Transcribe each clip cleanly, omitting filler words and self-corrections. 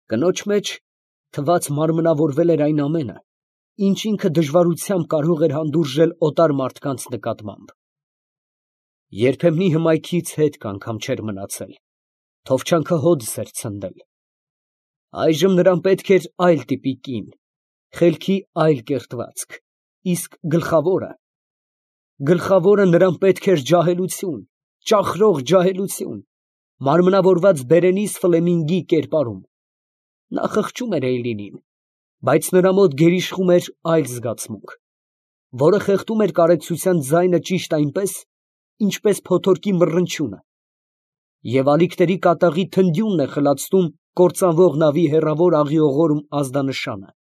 Կնոջ մեջ թված մարմնավորվել էր այն ամենը, ինչ ինքը դժվարությամբ կարող էր հանդուրժել օտար մարդկանց նկատմամբ։ Երբեմնի հմայքից հետք անգամ չէր մնացել, թովչանքը հոդս էր ցնդել։ Այժմ նրան պետք էր այլ տիպի կին, խելքի այլ կերտվածք, իսկ գլխավորը նրան պետք էր ջահելություն, ճախրող ջահելություն, մարմնավորված Բերենիս Ֆլեմինգի կերպարում։ Նա խղճում էր Էյլինին, բայց նրա մոտ գերիշխում էր այլ զգացմունք, որը խեղդում էր կարեկցության ձայնը ճիշտ այնպես, ինչպես փոթորկի մռնչյունը, և ալիքների կատաղի թնդյունն է խլացնում կործանվող նավի հեռավոր աղիողորմ ազդանշանը։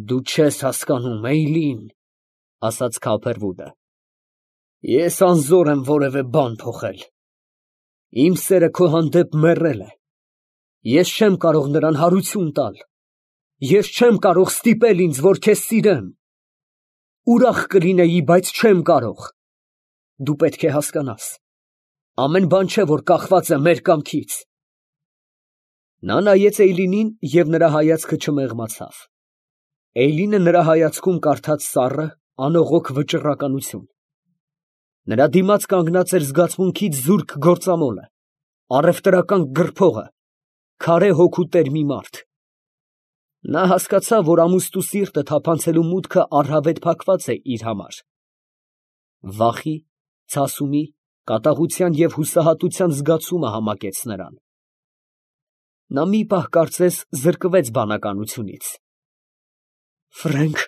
«Դու չես հասկանում, Էյլին, ֊ ասաց Քափերվուդը, ֊ ես անզոր եմ որևէ բան փոխել։ Իմ սերը քո հանդեպ մեռել է։ Ես չեմ կարող նրան հարություն տալ։ Ես չեմ կարող ստիպել ինձ, որ քեզ սիրեմ։ Ուրախ կլինեի, բայց չեմ կարող։ Դու պետք է հասկանաս, ամեն բան չէ, որ կախված է մեր կամքից»։ Նա նայեց Էյլինին, և նրա հայացքը չմեղմացավ։ Էյլինը նրա հայացքում կարդաց սառը, անողոք վճռականություն։ Նրա դիմաց կանգնած էր զգացմունքից զուրկ գործամոլը, առևտրական գրփողը, քարե հոգու տեր մի մարդ։ Նա հասկացավ, որ ամուստու սիրտը թափանցելու մուտքը առհավետ փակված է իր համար։ Վախի, ցասումի, կատաղության և հուսահատության զգացումը համակեց նրան։ Նա մի պահ կարծես զրկվեց բանականությունից։ «Ֆրենկ,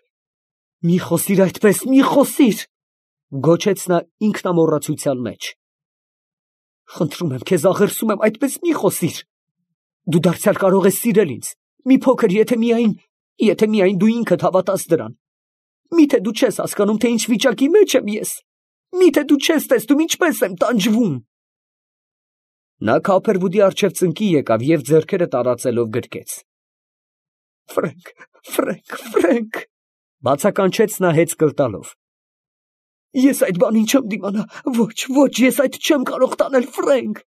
մի խոսիր այդպես, մի խոսիր, ֊ գոչեց նա ինքնամոռացության մեջ։ ֊ Խնդրում եմ քեզ, աղերսում եմ, այդպես մի խոսիր։ Դու դարձյալ կարող ես սիրել ինձ, մի փոքր, եթե միայն դու ինքդ հավատաս դրան։ Միթե դու չես հասկանում, թե ինչ վիճակի մեջ եմ ես։ Միթե դու չես տեսնում ինչպես եմ տանջվում»։ Նա Քափերվուդի առջև ծնկի եկավ և ձեռքերը տարածելով գրկեց։ «Ֆրենկ, ֊ բացականչեց նա հեծկլ տալով, ֊ ես այդ բանին չեմ դիմանա, ոչ, ես այդ չեմ կարող տանել, Ֆրենկ»։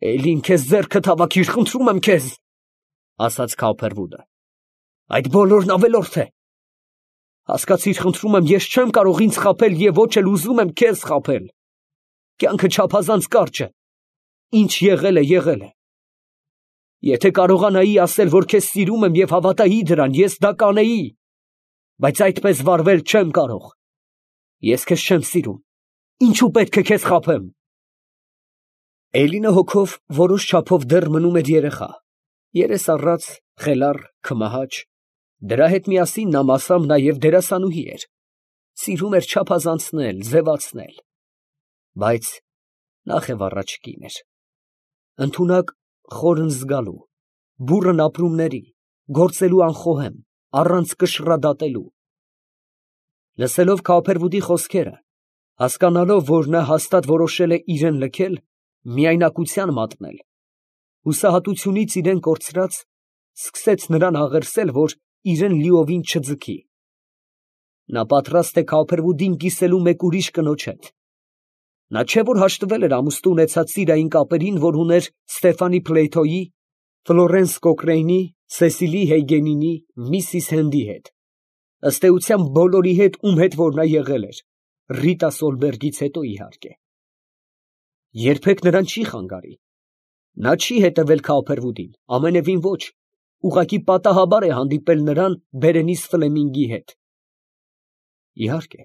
«Էյլին, քեզ ձեռքդ հավաքիր, խնդրում եմ քեզ, ֊ ասաց Քափերվուդը, ֊ այդ բոլորն ավելորդ է։ Հասկացիր, խնդրում եմ, ես չեմ կարող ինձ խաբել և ոչ էլ ուզում եմ քեզ խաբել։ Կյանքը չափազանց կարճ է, ինչ եղել է, եղել է։ Եթե կարողանայի ասել, որ քեզ սիրում եմ և հավատայի դրան, ես դա կանեի, բայց այդպես վարվել չեմ կարող։ Ես քեզ չեմ սիրում, ինչու պետք է քեզ խաբեմ»։ Էյլինը հոգով որոշ չափով դեռ մնում էր երեխա, երես առած, խելառ, քմահաճ, դրա հետ միասին նա մասամբ նաև դերասանուհի էր, սիրում էր չափազանցնել, ձևացնել, բայց նախևառաջ կին էր, ընդունակ, խորն զգալու, բուռն ապրումների, գործելու անխոհեմ, առանց կշռադատելու։ Լսելով Քափերվուդի խոսքերը, հասկանալով, որ նա հաստատ որոշել է իրեն լքել, միայնակության մատնել, հուսահատությունից իրեն կորցրած, սկսեց նրան աղերսել, որ իրեն լիովին չձգի։ Նա պատրաստ է Քափերվուդին կիսելու մեկ ուրիշ կնոջ հետ։ Նա չէ որ հաշտվել էր ամուսնու ունեցած սիրային կապերին, որ ուներ Ստեֆանի Փլեյթոյի, Ֆլորենս Կոկրեյնի, Սեսիլի Հեյգենինի, Միսիս Հենդի հետ, ըստ էության բոլորի հետ, ում հետ որ նա եղել էր, Ռիտա Սոլբերգից հետո, իհարկե։ Երբեք նրան չի խանգարի։ Նա չի հետևել Քափերվուդին, ամենևին ոչ, ուղղակի պատահաբար է հանդիպել նրան Բերենիս Ֆլեմինգի հետ։ Իհարկե,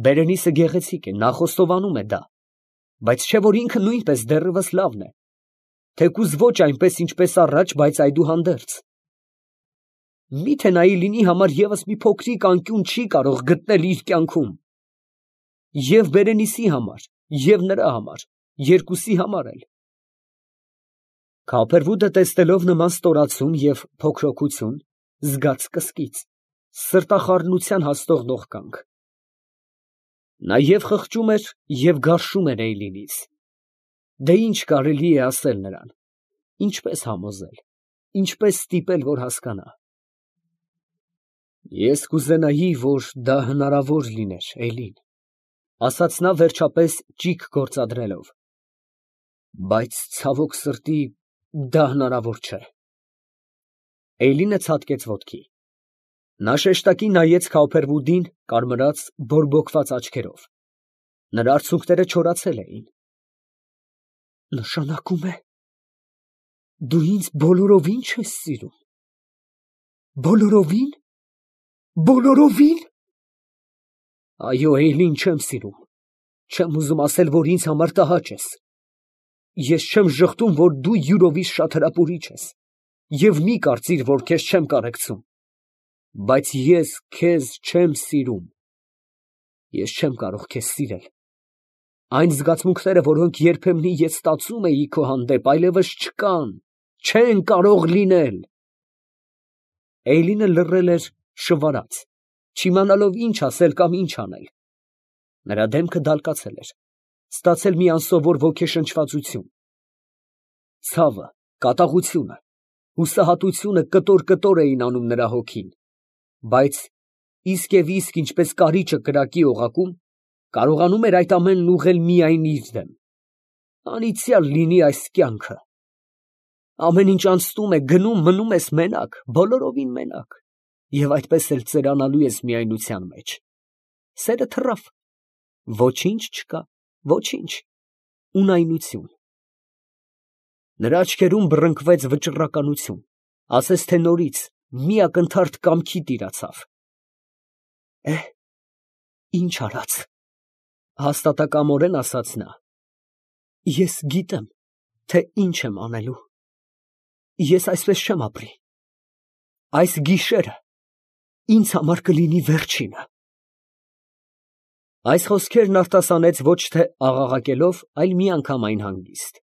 Բերենիսը գեղեցիկ է, նա խոստովանում է դա, բայց չէ որ ինքը նույնպես դեռևս լավն է, թեկուզ ոչ այնպես, ինչպես առաջ, բայց այդուհանդերձ։ Միթե նա Էյլինի համար ևս մի փոքրիկ անկյուն չի կարող գտնել իր կյանքում։ Եվ Բերենիսի համար, և նրա համար, երկուսի համար էլ։ Քափերվուդը տեսնելով նման ստորացում և փոքրոքություն, զգաց կսկիծ, սրտախառնության հասնող նողկանք։ Նա և խղճում էր, և գարշում էր Էյլինից։ Դե ինչ կարելի է ասել նրան, ինչպես համոզել, ինչպես ստիպել, որ հասկանա։ «Ես կուզենայի, որ դա հնարավոր լիներ, Էյլին, ֊ ասաց նա վերջապես ճիգ գործադրելով, ֊ բայց ցավոք սրտի, Դա հնարավոր չէ։ Էյլինը ցատկեց ոտքի։ Նա շեշտակի նայեց Քոփերվուդին կարմրած, բորբոքված աչքերով։ Նրա արցունքները չորացել էին։ Նշանակում է, դու ինձ բոլորովին չես սիրում։ Բոլորովին։ Բոլորովին։ Այո, Էյլին, չեմ սիրում։ Չեմ ուզում ասել, որ ինձ համար տհաճ ես։ Ես չեմ ժխտում, որ դու յուրովից շատ հրապուրիչ ես, և մի կարծիր, որ քեզ չեմ կարեկցում, բայց ես քեզ չեմ սիրում։ Ես չեմ կարող քեզ սիրել։ Այն զգացմունքները, որոնք երբեմնի ես ստացում էի քո հանդեպ, այլևս չկան, չեն կարող լինել։ Էյլինը լռել էր շվարած, չիմանալով ինչ ասել կամ ինչ անել։ Նրա դեմքը դալկացել էր, ստացել մի անսովոր ոգեշնչվածություն։ Ցավը, կատաղությունը, հուսահատությունը կտոր էին անում նրա հոգին, բայց իսկ և իսկ ինչպես կարիճը կրակի օղակում, կարողանում էր այդ ամենն ուղղել միայն իր դեմ։ Անիծյալ լինի այս կյանքը։ Ամեն ինչ անցնում է, գնում, մնում ես մենակ, բոլորովին մենակ, և այդպես էլ ծերանալու ես միայնության մեջ։ Սերը թռավ, ոչինչ չկա, ոչինչ, ունայնություն։ Նրա աչքերում բռնկվեց վճռականություն, ասես թե նորից մի ակնթարթ կամքի տիրացավ։ Ինչ արած, հաստատակամորեն ասաց նա։ Ես գիտեմ, թե ինչ եմ անելու։ Ես այսպես չեմ ապրի։ Այս գիշերը ինձ համար կլինի վերջինը։ Այս խոսքերն արտասանեց ոչ թե աղաղակելով, այլ միանգամայն հանգիստ։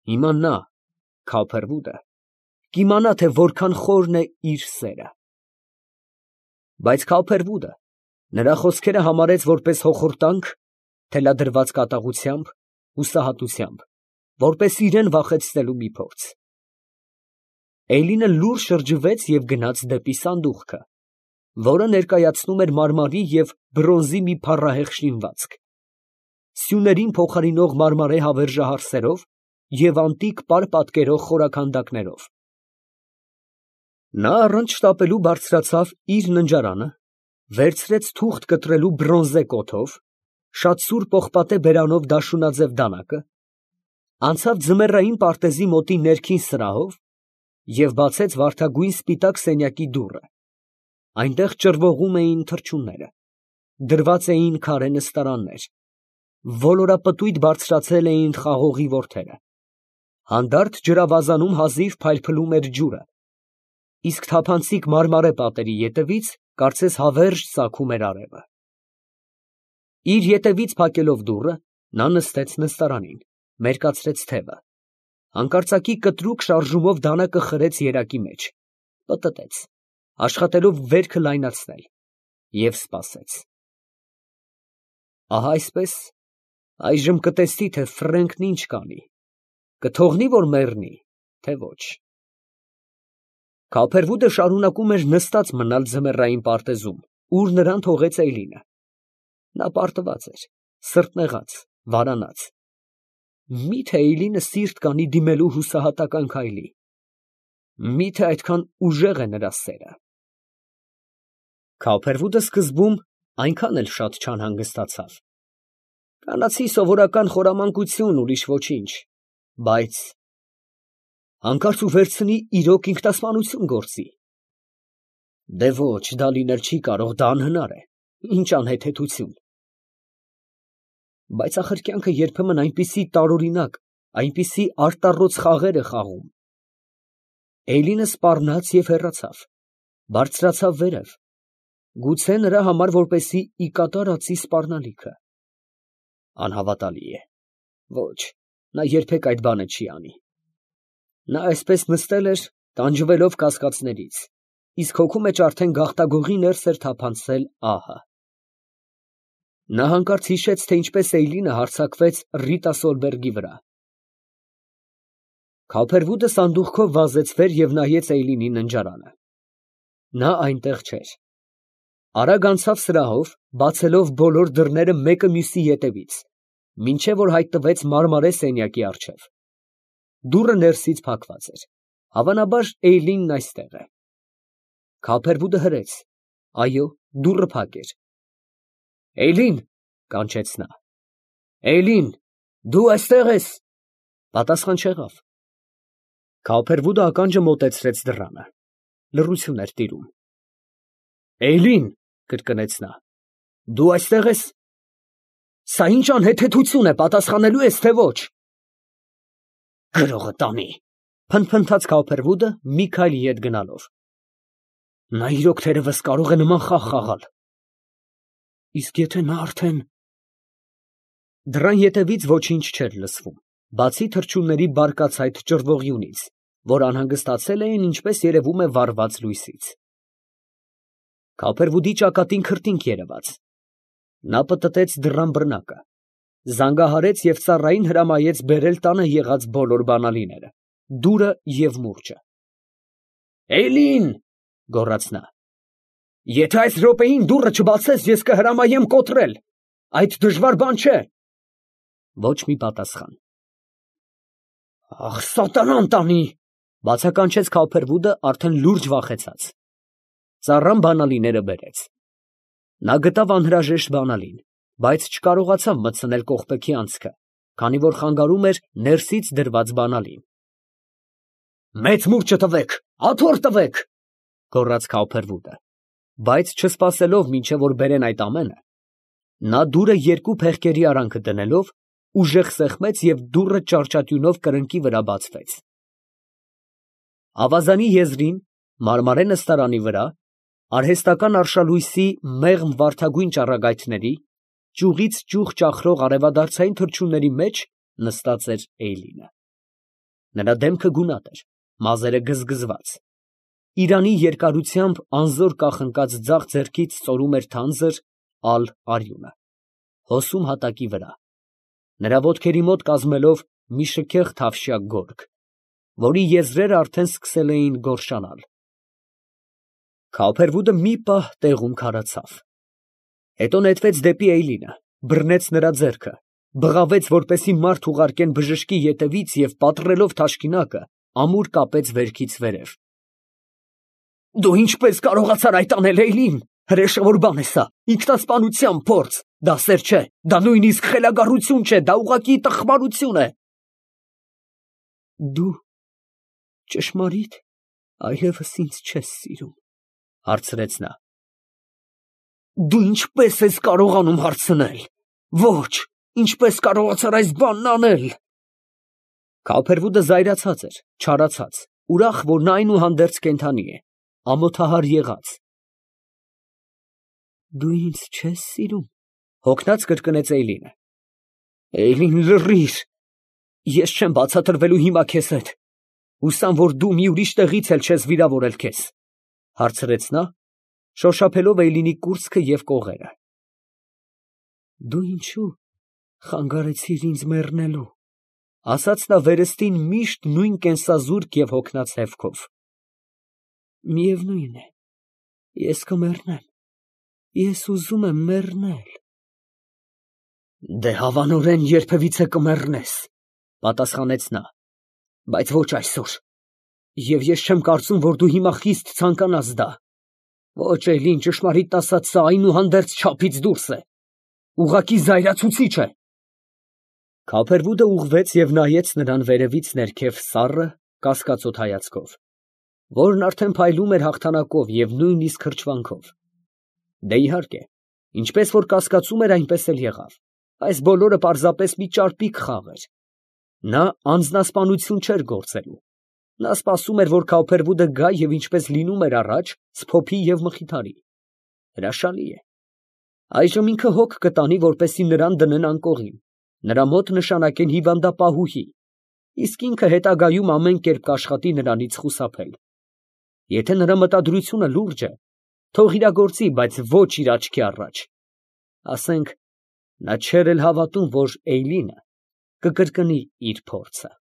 Հիմա նա, Քոփերվուդը, կիմանա, թե որքան խորն է իր սերը։ Բայց Քոփերվուդը նրա խոսքերը համարեց որպես հոխորտանք, թելադրված կատաղությամբ, հուսահատությամբ, որպես իրան վախեցնելու մի փորձ։ Էյլինը լուռ շրջվեց և գնաց դեպի սանդուղքը, որը ներկայացնում էր մարմարի և բրոնզի մի փառահեղ շինվածք, սյուներին փոխարինող մարմարե հավերժահարսերով և անտիկ պար֊պատկերող խորաքանդակներով։ Նա առանց շտապելու բարձրացավ իր ննջարանը, վերցրեց թուղթ կտրելու բրոնզե կոթով, շատ սուր պողպատե բերանով դաշունաձև դանակը, անցավ ձմեռային պարտեզի մոտի ներքին սրահով և բացեց վարդագույն սպիտակ սենյակի դուռը։ Այնտեղ ճռվողում էին թռչունները, դրված էին քարե նստարաններ, ոլորապտույտ բարձրացել էին խաղողի որդերը, հանդարտ ջրավազանում հազիվ փայլփլում էր ջուրը, իսկ թափանցիկ մարմարե պատերի ետևից կարծես հավերժ ծագում էր արևը։ Իր ետևից փակելով դուռը, նա նստեց նստարանին, մերկացրեց թևը, հանկարծակի կտրուկ շարժումով դանակը խրեց երակի մեջ, պտտեց, աշխատելով վերքը լայնացնել, և սպասեց։ Ահա այսպես, այժմ կտեսնի, թե Ֆրենկն ինչ կանի, կթողնի, որ մեռնի, թե ոչ։ Քոփերվուդը շարունակում էր նստած մնալ ձմեռային պարտեզում, ուր նրան թողեց Էյլինը։ Նա պարտված էր, սրտնեղած, վարանած։ Մի՞թե Էյլինը սիրտ կանի դիմելու հուսահատական քայլի։ Մի՞թե այդքան ուժեղ է նրա սերը։ Քոփերվուդը սկզբում այնքան էլ շատ չանհանգստացավ։ Կանացի սովորական խորամանկություն, ուրիշ ոչինչ, բայց հանկարծ ու վերցնի իրոք ինքնասպանություն գործի։ Դե ոչ, դա լինել չի կարող, դա անհնար է, ինչ անհեթեթություն։ Բայց ախր կյանքը երբեմն այնպիսի տարօրինակ, այնպիսի արտառոց խաղեր է խաղում։ Էյլինը սպառնաց և հեռացավ, բարձրացավ վերև, գուցե նրա համար որպեսզի ի կատար ածի սպառնալիքը։ Անհավատալի է, ոչ, նա երբեք այդ բանը չի անի։ Նա այսպես նստել էր, տանջվելով կասկածներից, իսկ հոգու մեջ արդեն գաղտագողի ներս էր թափանցել ահը։ Նա հանկարծ հիշեց, թե ինչպես Էյլինը հարձակվեց Ռիտա Սոլբերգի վրա։ Քոփերվուդը սանդուղքով վազեց վեր և նայեց Էյլինի ննջարանը։ Նա այնտեղ չէր։ Արագ անցավ սրահով, բացելով բոլոր դռները մեկը մյուսի ետևից, մինչև որ հայտնվեց մարմարե սենյակի առջև։ Դուռը ներսից փակված էր։ Հավանաբար Էյլինն այստեղ է։ Քափերվուդը հրեց։ Այո, դուռը փակ էր։ Էյլին, կանչեց նա։ Էյլին, դու այստեղ ես։ Պատասխան չեղավ։ Քափերվուդը ականջը մոտեցրեց դռանը։ Լռություն էր տիրում։ Էյլին, կրկնեց նա, դու այստեղ ես։ Սա ինչ անհեթեթություն է, պատասխանելու ես, թե ոչ։ Գրողը տանի, փնթփնթաց Քափերվուդը մի քայլ ետ գնալով։ Նա իրոք թերևս կարող է նման խաղ խաղալ։ Իսկ եթե նա արդեն… Դռան ետևից ոչինչ չէր լսվում, բացի թռչունների բարկացայթ ճռվողյունից, որ անհանգստացել էին, ինչպես երևում է, վառված լույսից։ Քափերվուդի ճակատին քրտինք երևաց։ Նա պտտեց դռան բռնակը, զանգահարեց և ծառային հրամայեց բերել տանը եղած բոլոր բանալիները, դուրը և մուրճը։ Էյլին, գոռաց նա, եթե այս րոպեին դուռը չբացես, ես կհրամայեմ կոտրել, այդ դժվար բան չէ։ Ոչ մի պատասխան։ Ախ, սատանան տանի, բացականչեց Քափերվուդը արդեն լուրջ վախեցած։ Ծառան բանալիները բերեց։ Նա գտավ անհրաժեշտ բանալին, բայց չկարողացավ մտցնել կողպեքի անցքը, քանի որ խանգարում էր ներսից դրված բանալին։ Մեծ մուրճը տվեք, աթոռ տվեք, գոռաց Քափերվուդը, բայց չսպասելով մինչև որ բերեն այդ ամենը, նա դուռը երկու փեղկերի արանքը դնելով ուժեղ սեղմեց և դուռը ճարճատյունով կրնկի վրա բացվեց։ Ավազանի եզրին, մարմարե նստարանի վրա, արհեստական արշալույսի մեղմ վարդագույն ճառագայթների, ճյուղից ճյուղ ճախրող արևադարձային թռչունների մեջ նստած էր Էյլինը։ Նրա դեմքը գունատ էր, մազերը գզգզված։ Իրանի երկարությամբ անզոր կախնկած ձախ ձեռքից ծորում էր թանձր, ալ արյունը, հոսում հատակի վրա, նրա ոտքերի մոտ կազմելով մի շքեղ թավշյա գորգ, որի եզրերը արդեն սկսել էին գորշանալ։ Քափերվուդը մի պահ տեղում քարացավ, հետո նետվեց դեպի Էյլինը, բռնեց նրա ձեռքը, բղավեց, որպեսզի մարդ ուղարկեն բժշկի ետևից և պատռելով թաշկինակը, ամուր կապեց վերքից վերև։ Դու ինչպես կարողացար այդ անել, Էյլին, հրեշավոր բան է սա, ինքնասպանության փորձ, դա սեր չէ, դա նույնիսկ խելագարություն չէ, դա ուղղակի տխմարություն է։ Դու ճշմարիտ այլևս ինձ չես սիրում, հարցրեց նա։ Դու ինչպես ես կարողանում հարցնել։ Ոչ, ինչպես կարողացար այս բանն անել։ Քափերվուդը զայրացած էր, չարացած, ուրախ, որ նա այնուհանդերձ կենդանի է, ամոթահար եղած։ Դու ինձ չես սիրում, հոգնած կրկնեց Էյլինը։ Էյլին, լռիր, ես չեմ բացատրվելու հիմա քեզ հետ, հուսամ, որ դու մի ուրիշ տեղից էլ չես վիրավորել քեզ, հարցրեց նա, շոշափելով Էյլինի կուրծքը և կողերը։ Դու ինչու խանգարեցիր ինձ մեռնելու, ասաց նա վերստին միշտ նույն կենսազուրկ և հոգնած հևքով։ Միևնույն է, ես կմեռնեմ, ես ուզում եմ մեռնել։ Դե հավանորեն երբևիցե կմեռնես, պատասխանեց նա, բայց ոչ այսօր, և ես չեմ կարծում, որ դու հիմա խիստ ցանկանաս դա։ Ոչ, Էյլին, ճշմարիտն ասած, սա այնուհանդերձ չափից դուրս է, ուղղակի զայրացուցիչ է։ Քափերվուդը ուղղվեց և նայեց նրան վերևից ներքև սառը, կասկածոտ հայացքով, որն արդեն փայլում էր հաղթանակով և նույնիսկ հրճվանքով։ Դե իհարկե, ինչպես որ կասկածում էր, այնպես էլ եղավ, այս բոլորը պարզապես մի ճարպիկ խաղ էր։ Նա անձնասպանություն չէր գործելու։ Նա սպասում էր, որ Քափերվուդը գա և ինչպես լինում էր առաջ, սփոփի և մխիթարի։ Հրաշալի է։ Այժմ ինքը հոգ կտանի, որպեսզի նրան դնեն անկողին, նրա մոտ նշանակեն հիվանդապահուհի, իսկ ինքը հետագայում ամեն կերպ կաշխատի նրանից խուսափել։ Եթե նրա մտադրությունը լուրջ է, թող իրագործի, բայց ոչ իր աչքի առաջ։ Ասենք, նա չէր էլ հավատում, որ Էյլինը կկրկնի իր փորձը։